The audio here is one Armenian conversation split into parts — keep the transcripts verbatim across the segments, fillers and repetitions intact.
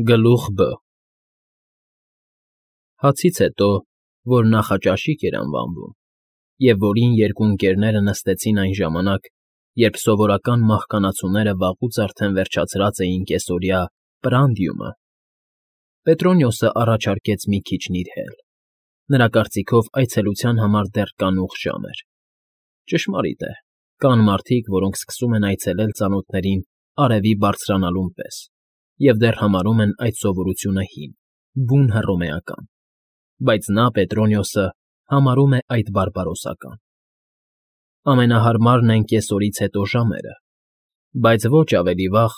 Գլուխ Բ Հացից հետո, որ նախաճաշիկ էր անվանվում, և որին երկու ընկերները նստեցին այն ժամանակ, երբ սովորական մահկանացուները վաղուց արդեն վերջացրած էին կեսօրյա պրանդիումը, Պետրոնիոսը առաջարկեց մի քիչ նիրհել. նրա կարծիքով այցելության համար դեռ կանուխ ժամ էր. ճշմարիտ է, կան մարդիկ, որոնք սկսում են այցելել ծանոթներին արևի բարձրանալուն պես և դեռ համարում են այդ սովորությունը հին, բուն հռոմեական, բայց նա, Պետրոնիոսը, համարում է այդ բարբարոսական. ամենահարմարն են կեսօրից հետո ժամերը, բայց ոչ ավելի վաղ,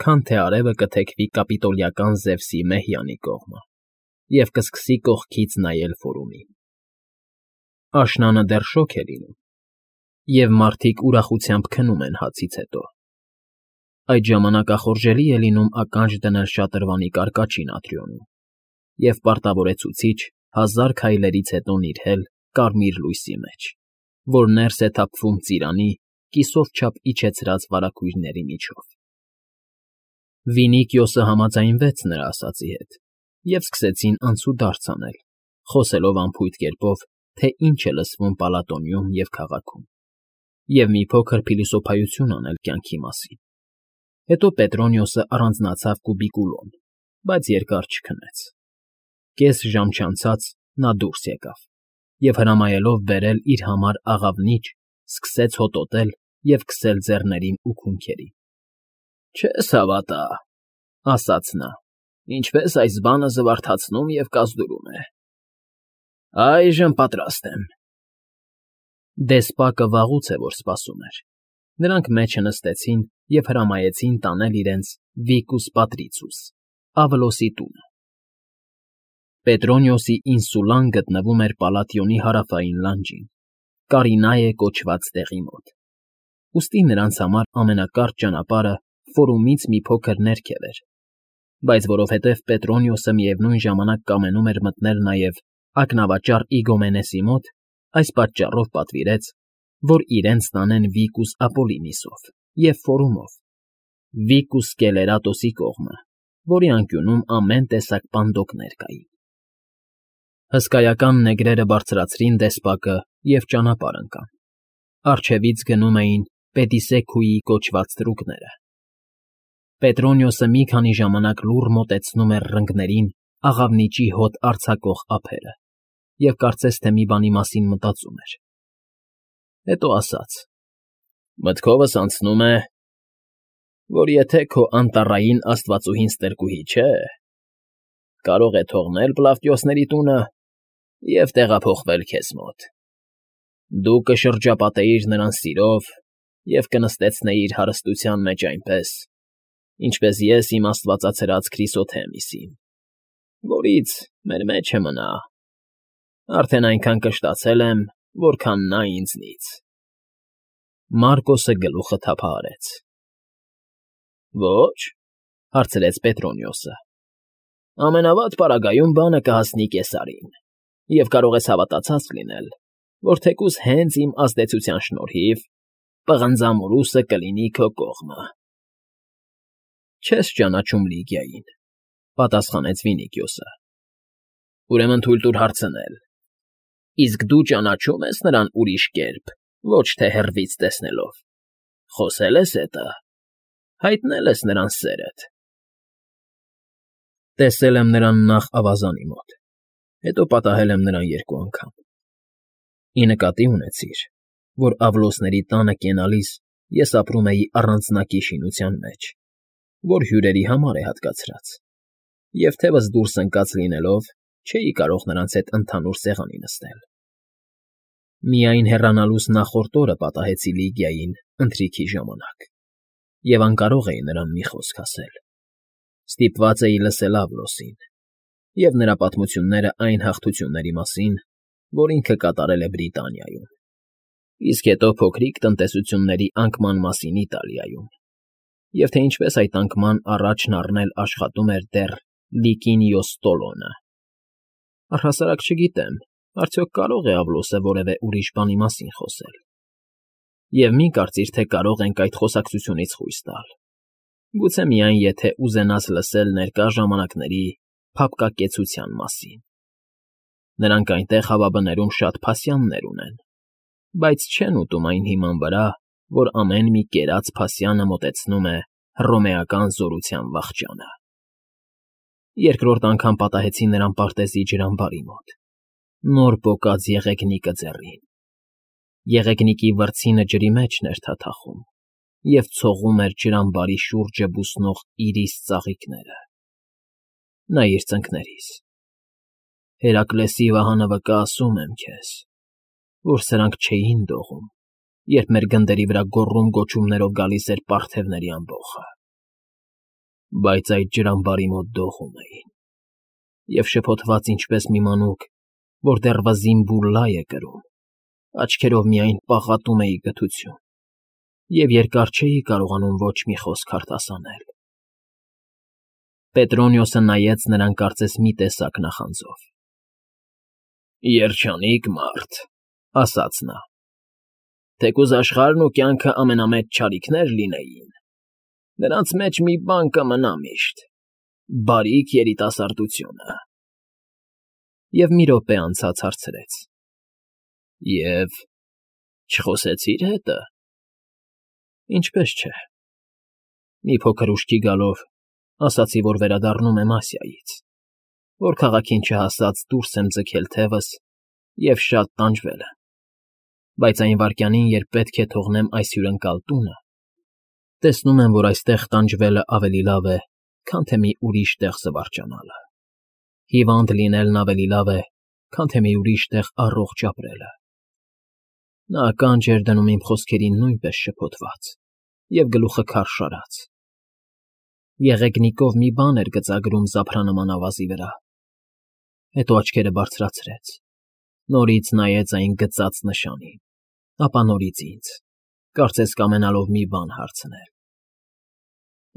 քան թե արևը կթեքվի կապիտոլիական Զևսի Մեհյանի կողմը և կսկսի կողքից նայել Ֆորումին. աշնանը դեռ շոգ է լինում, և մարդիկ ուրախությամբ քնում են հացից հետո. այդ ժամանակ ախորժելի է լինում ականջ դնել շատրվանի կարկաչին Ատրիոնում և պարտավորեցուցիչ հազար քայլերից հետո նիրհել կարմիր լույսի մեջ, որ ներս է թափվում ծիրանի, կիսով չափ իջեցրած վարագույրների միջով։ Վինիքիոսը համաձայնվեց նրա ասածի հետ, և սկսեցին անցուդարձ անել, խոսելով անփույթ կերպով, թե ինչ է լսվում Պալատոնիում և քաղաքում, և մի փոքր փիլիսոփայություն անել կյանքի մասին։ Հետո Պետրոնիոսը առանձնացավ կուբիկուլոն, բայց երկար չքնեց. կես ժամ չանցած նա դուրս եկավ և, հրամայելով բերել իր համար աղավնիչ, սկսեց հոտոտել և քսել ձեռքներին ու քունքերին։ ֊ Չես հավատա,֊ ասաց նա,֊ ինչպես այս բանը զվարթացնում և կազդուրում է… այժմ պատրաստ եմ… Դեսպակը վաղուց է որ սպասում էր. նրանք մեջը նստեցին և հրամայեցին տանել իրենց Վիկուս Պատրիցուս, Ավլոսի տունը։ Պետրոնիոսի ինսուլան գտնվում էր Պալատիոնի հարավային լանջին, Կարինայե կոչված տեղի մոտ, ուստի նրանց համար ամենակարճ ճանապարհը Ֆորումից մի փոքր ներքև էր, բայց որովհետև Պետրոնիոսը միևնույն ժամանակ կամենում էր մտնել նաև ակնավաճառ Իգոմենեսի մոտ, այս պատճառով պատվիրեց, որ իրենց տանեն Վիկուս Ապոլլինիսով և Ֆորումով, Վիկուս Սկելերատոսի կողմը, որի անկյունում ամեն տեսակ պանդոկներ կային։ Հսկայական նեգրերը բարձրացրին դեսպակը և ճանապարհ ընկան. առջևից գնում էին Պեդիսեքուի կոչված թրուկները։ Պետրոնիոսը մի քանի ժամանակ լուռ մոտեցնում էր ռնգներին աղավնիճի հոտ արձակող ափերը և կարծես թե մի բանի մասին մտածում էր։ Հետո ասաց. «Մտքովս անցնում է, որ եթե քո անտառային աստվածուհին Ստրկուհի չէ, կարող է թողնել Պլավտիոսների տունը և տեղափոխվել քեզ մոտ. դու կշրջապատեիր նրան սիրով և կնստեցնեիր հարստության մեջ այնպես, ինչպես ես իմ աստվածացրած Քրիսոթեմիսին, որից մեր մեջը մնա, արդեն այնքան կշտացել եմ, որքան նա ինձնից»։ Մարկոսը գլուխը թափահարեց։ ֊ Ո՞չ,֊ հարցրեց Պետրոնիոսը,֊ ամենավատ պարագայում բանը կհասնի կեսարին, և կարող ես հավատացած լինել, որ թեկուզ հենց իմ ազդեցության շնորհիվ պղնձամուրուսը կլինի քո կողմը։ ֊ Չես ճանաչում Լիգիային,֊ պատասխանեց Վինիքիոսը։ ֊ Ուրեմն թույլ տուր հարցնել. իսկ դու ճանաչո՞ւմ ես նրան ուրիշ կերպ, ոչ թե հեռվից տեսնելով, խոսե՞լ ես հետը, հայտնել ես նրան սերդ։ ֊ Տեսել եմ նրան նախ ավազանի մոտ, հետո պատահել եմ նրան երկու անգամ։ Ի նկատի ունեցիր, որ Ավլոսների տանը կենալիս ես ապրում էի առանձնակի շինության մեջ, որ հյուրերի համար է հատկացրած, և թևս դուրս ընկած լինելով, չէի կարող նրանց հետ ընդհանուր սեղանի նստել։ Միայն հեռանալուս նախորդ օրը պատահեցի Լիգիային ընթրիքի ժամանակ և անկարող էի նրան մի խոսք ասել. ստիպված էի լսել Ավլոսին և նրա պատմությունները այն հաղթությունների մասին, որ ինքը կատարել է Բրիտանիայում, իսկ հետո փոքրիկ տնտեսությունների անկման մասին Իտալիայում, և թե ինչպես այդ անկման առաջն առնել աշխատում էր դեռ Լիկինիո Ստոլոնը։ Առհասարակ չգիտեմ, արդյոք կարո՞ղ է Ավլոսը որևէ ուրիշ բանի մասին խոսել, և մի կարծիր, թե կարող ենք այդ խոսակցությունից խույս տալ։ Գուցե միայն եթե ուզենաս լսել ներկա ժամանակների փափկակեցության մասին։ Նրանք այնտեղ հավաբներում շատ փասյաններ ունեն, բայց չեն ուտում այն հիման վրա, որ ամեն մի կերած փասյանը մոտեցնում է հռոմեական զորության վախճանը։ Երկրորդ անգամ պատահեցի նրան պարտեզի ջրամբարի մոտ, նոր պոկած եղեգնիկը ձեռին։ Եղեգնիկի վրձինը ջրի մեջն էր թաթախում և ցողում էր ջրամբարի շուրջը բուսնող իրիս ծաղիկները։ Նայիր ծնկներիս։ Հերակլեսի վահանը վկա ասում եմ քեզ, որ սրանք չէին դողում, երբ մեր գնդերի վրա գոռում֊գոչումներով գալիս էր պարթևների ամբոխը, բայց այդ ջրամբարի մոտ դողում էին, և շփոթված ինչպես մի մանուկ, որ դեռ վզին բուռլա է կրում, աչքերով միայն պաղատում էի գթություն և երկար չէի կարողանում ոչ մի խոսք արտասանել։ Պետրոնիոսը նայեց նրան կարծես մի տեսակ նախանձով։ Երջանիկ մարդ, ասաց նա, թեկուզ աշխարհն ու կյանքը ամենամեծ չարիքներ լինեին, նրանց մեջ մի բան կմնա միշտ՝ բարիք երիտասարդությունը։ Եվ մի րոպե անցած հարցրեց. Եվ չխոսեցի՞ր հետը։ Ինչպես չէ։ Մի փոքր ուշքի գալով ասացի, որ վերադառնում եմ Ասիայից, որ քաղաքին չհասած դուրս եմ ձգել թևս և շատ տանջվել եմ, բայց այն վայրկյանին, երբ պետք է թողնեմ այս հյուրընկալ տունը, տեսնում եմ, որ այստեղ տանջվելը ավելի լավ է, քան թե մի ուրիշ տեղ զվարճանալը։ Հիվանդ լինելն ավելի լավ է, քան թե մի ուրիշ տեղ առողջ ապրելը։ Նա ականջ էր դնում իմ խոսքերին նույնպես շփոթված և գլուխը քարշ արած։ Եղեգնիկով մի բան էր գծագրում զափրանման ավազի վրա, հետո աչքերը բարձրացրեց, նորից նայեց այն գծած նշանին, ապա նորից ինձ, կարծես կամենալով մի բան հարցնել,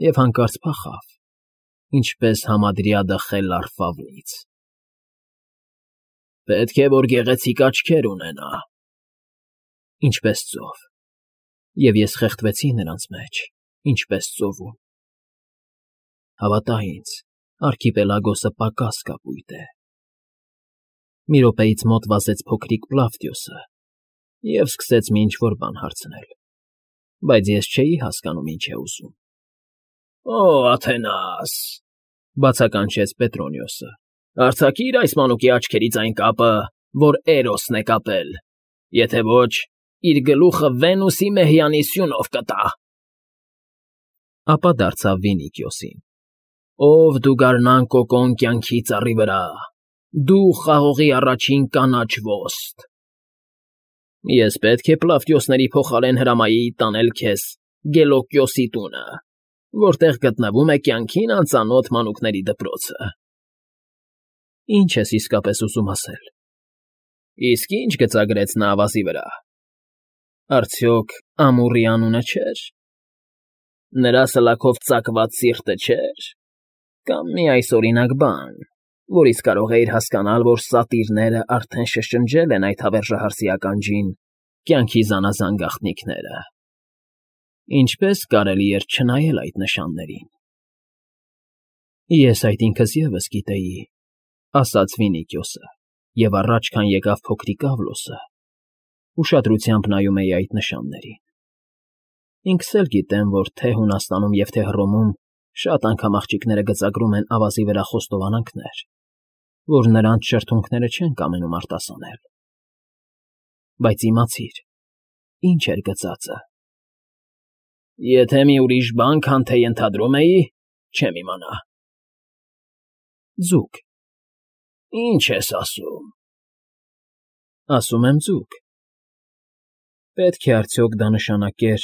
և հանկարծ փախավ, ինչպես համադրյադը խելառ ֆավնից։ Պետք է, որ գեղեցիկ աչքեր ունենա, ինչպես ծով, և ես խեղդվեցի նրանց մեջ, ինչպես ծովում։ Հավատա ինձ, արքիպելագոսը պակաս կապույտ է։ Մի րոպեից մոտ վազեց փոքրիկ Պլավդիոսը և սկսեց մի ինչ֊որ բան հարցնել, բայց ես չէի հասկանում ինչ է ուզում։ Օ, Աթենաս,֊ բացականչեց Պետրոնիոսը,֊ արձակի՛ր այս մանուկի աչքերից այն կապը, որ Էրոսն է կապել, եթե ոչ, իր գլուխը Վենուսի մեհյանի սյունով կտա։ Ապա դարձավ Վինիքիոսին. Ով դու գարնան կոկոն կյանքի ծառի վրա, դու խաղողի առաջին կանաչ ոստ։ Ես պետք է Պլավդիոսների փոխարեն հրամայի տանել քեզ Գելոկիոսի տունը, որտեղ գտնվում է կյանքին անծանոթ մանուկների դպրոցը։ Ինչ ես իսկապես ուզում ասել։ Իսկ ինչ գծագրեց նա ավազի վրա։ Արդյոք Ամուրի անունը չէր։ Նրա սլաքով ծակված սիրտը չէր, կամ մի այսօրինակ բան, որից կարող էիր հասկանալ, որ սատիրները արդեն շշնջել են այդ հավերժահարսի ականջին կյանքի զանազան գաղտնիքները։ Ինչպես կարելի էր չնայել այդ նշաններին։ Ես այդ ինքս ևս գիտեի, ասաց Վինիքիոսը, և առաջ, քան եկավ փոքրիկ Ավլոսը, ուշադրությամբ նայում էի այդ նշաններին։ Ինքս էլ գիտեմ, որ թե Հունաստանում և թե Հռոմում շատ անգամ աղջիկները գծագրում են ավազի վրա խոստովանանքներ, որ նրանց շրթունքները չեն կամենում արտասանել։ Բայց իմացիր, ինչ էր գծածը։ Եթե մի ուրիշ բան, քան թե ենթադրում էի, չեմ իմանա։ Ձուկ։ Ինչ ես ասում։ Ասում եմ ձուկ։ Պետք է արդյոք դա նշանակեր,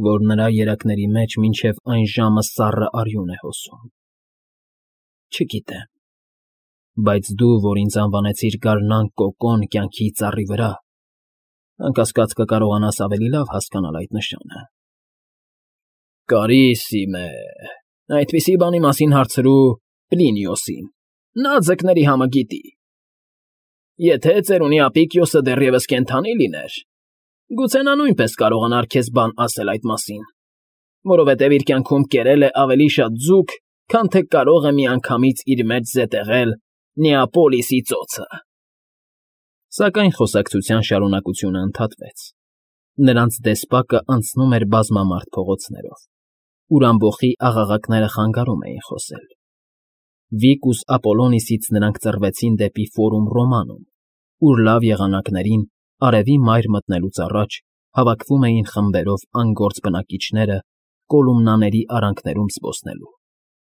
որ նրա երակների մեջ մինչև այն ժամը սառը արյուն է հոսում։ Չգիտեմ, բայց դու, որ ինձ անվանեցիր գարնան կոկոն կյանքի ծառի վրա, անկասկած կկարողանաս ավելի լավ հասկանալ այդ նշանը։ Կարիսիմե, այդպիսի բանի մասին հարցրու Պլինիոսին, նա ձկների համը գիտի։ Եթե ծերունի Ապիկիոսը դեռևս կենդանի լիներ, գուցե նա նույնպես կարողանար քեզ բան ասել այդ մասին, որովհետև իր կյանքում կերել է ավելի շատ ձուկ, քան թե կարող է միանգամից իր մեջ զետեղել Նեապոլիսի ծոցը։ Սակայն խոսակցության շարունակությունը ընդհատվեց։ Նրանց դեսպակը անցնում էր բազմամարդ փողոցներով, ուր ամբոխի աղաղակները խանգարում էին խոսել։ Վիկուս Ապոլոնիսից նրանք ծռվեցին դեպի Ֆորում Ռոմանում, ուր լավ եղանակներին, արևի մայր մտնելուց առաջ, հավաքվում էին խմբերով անգործ բնակիչները Կոլումնաների արանքներում զբոսնելու,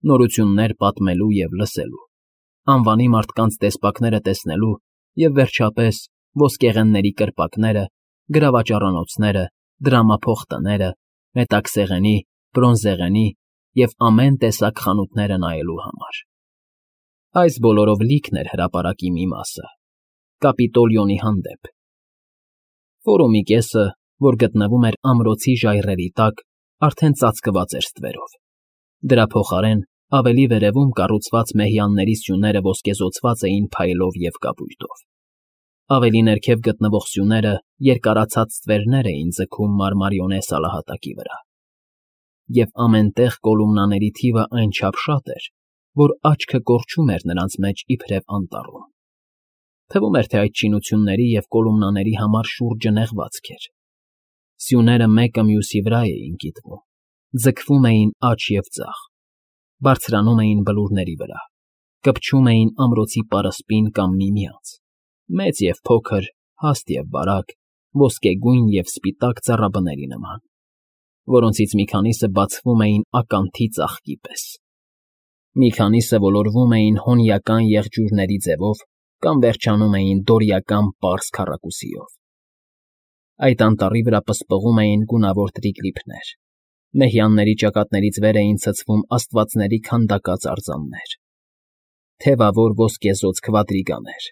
նորություններ պատմելու և լսելու, անվանի մարդկանց դեսպակները տեսնելու և, վերջապես, ոսկեղենների կրպակները, գրավաճառանոցները, դրամափոխ տները, մետաքսեղենի, բրոնզեղենի և ամեն տեսակ խանութները նայելու համար։ Այս բոլորով լիքն էր հրապարակի մի մասը՝ Կապիտոլիոնի հանդեպ։ Ֆորումի կեսը, որ գտնվում էր ամրոցի ժայռերի տակ, արդեն ծածկված էր ստվերով։ Դրա փոխարեն ավելի վերևում կառուցված մեհյանների սյուները ոսկեզօծված էին փայլով և կապույտով։ Ավելի ներքև գտնվող սյուները երկարացած ստվերներ էին ձգում մարմարիոնե սալահատակի վրա։ Եվ ամեն տեղ կոլումնաների թիվը այնչափ շատ էր, որ աչքը կորչում էր նրանց մեջ իբրև անտառում։ Թվում էր, թե այդ շինությունների և կոլումնաների համար շուրջը նեղվածք էր։ Սյուները մեկը մյուսի վրա էին կիտվում, ձգվում էին աջ և ձախ, բարձրանում էին բլուրների վրա, կպչում էին ամրոցի պարսպին կամ միմյանց, մեծ և փոքր, հաստ և բարակ, ոսկեգույն և սպիտակ ծառաբների նման, որոնցից մի քանիսը բացվում էին ականթի ծաղկի պես։ Մի քանիսը ոլորվում էին հոնիական եղջյուրների ձևով կամ վերջանում էին դորիական պարզ քառակուսիով։ Այդ անտառի վրա պսպղում էին գունավոր տրիգլիփներ, մեհյանների ճակատներից վեր էին ցցվում աստվածների քանդակած արձաններ, թևավոր ոսկեզօծ քվադրիգաներ,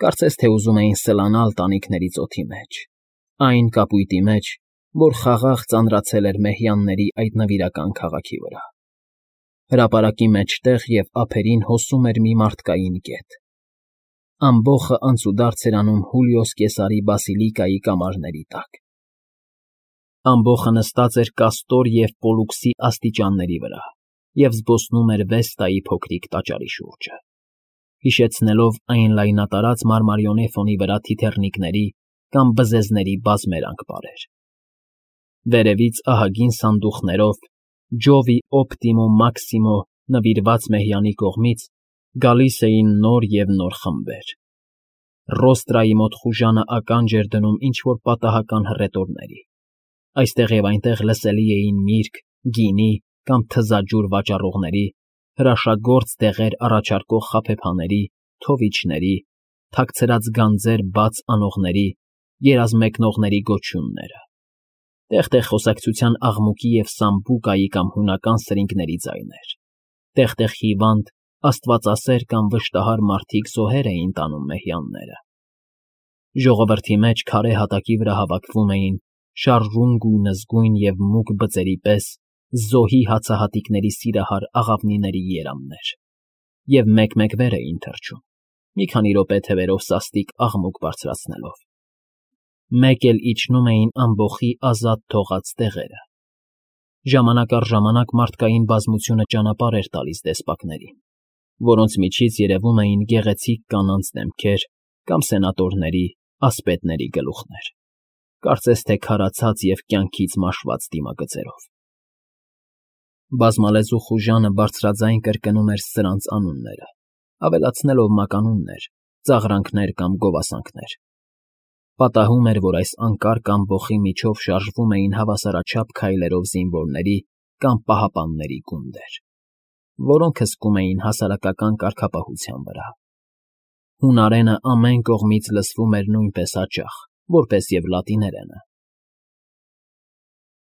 կարծես թե ուզում էին սլանալ տանիքների ծոթի մեջ, այն կապույտի մեջ, որ խաղաղ ծանրացել էր մեհյանների այդ նվիրական քաղաքի վրա։ Հրապարակի մեջտեղ և ափերին հոսում էր մի մարդկային կետ։ Ամբոխը անցուդարձ էր անում Հուլիոս Կեսարի բասիլիկայի կամարների տակ։ Ամբոխը նստած էր Կաստոր և Պոլուքսի աստիճանների վրա և զբոսնում էր Վեստայի փոքրիկ տաճարի շուրջը, հիշեցնելով այն լայնատարած մարմարիոնե ֆոնի վրա թիթեռնիկների կամ բզեզների բազմերանգ պարեր։ Վերևից ահագին սանդուղքներով Ջովի Օպտիմո Մաքսիմո նվիրված մեհյանի կողմից գալիս էին նոր և նոր խմբեր։ Ռոստրայի մոտ խուժանը ականջ էր դնում ինչ֊որ պատահական հռետորների։ Այստեղ և այնտեղ լսելի էին միրգ, գինի կամ թզաջուր վաճառողների, հրաշագործ դեղեր առաջարկող խաբեբաների, թովիչների, թաքցրած գանձեր բաց անողների, երազմեկնողների գոչյունները, տեղ֊տեղ խոսակցության աղմուկի և սամբուկայի կամ հունական սրինգների ձայներ, տեղ֊տեղ հիվանդ, աստվածասեր կամ վշտահար մարդիկ զոհեր էին տանում մեհյանները։ Ժողովրդի մեջ քարե հատակի վրա հավաքվում էին շարժուն գույնզգույն և մուգ բծերի պես զոհի հացահատիկների սիրահար աղավնիների երամներ և մեկ֊մեկ վեր էին թռչում, մի քանի րոպե թևերով սաստիկ աղմուկ բարձրացնելով։ Մեկ էլ իջնում էին ամբոխի ազատ թողած տեղերը։ Ժամանակ առ ժամանակ մարդկային բազմությունը ճանապարհ էր տալիս դեսպակներին, որոնց միջից երևում էին գեղեցիկ կանանց դեմքեր կամ սենատորների, ասպետների գլուխներ, կարծես թե քարացած և կյանքից մաշված դիմագծերով։ Բազմալեզու խուժանը բարձրաձայն կրկնում էր սրանց անունները, ավելացնելով մականուններ, ծաղրանքներ կամ գովասանքներ։ Պատահում էր, որ այս անկարգ ամբոխի միջով շարժվում էին հավասարաչափ քայլերով զինվորների կամ պահապանների գունդեր, որոնք հսկում էին հասարակական կարգապահության վրա։ Հունարենը ամեն կողմից լսվում էր նույնպես հաճախ, որպես և լատիներենը,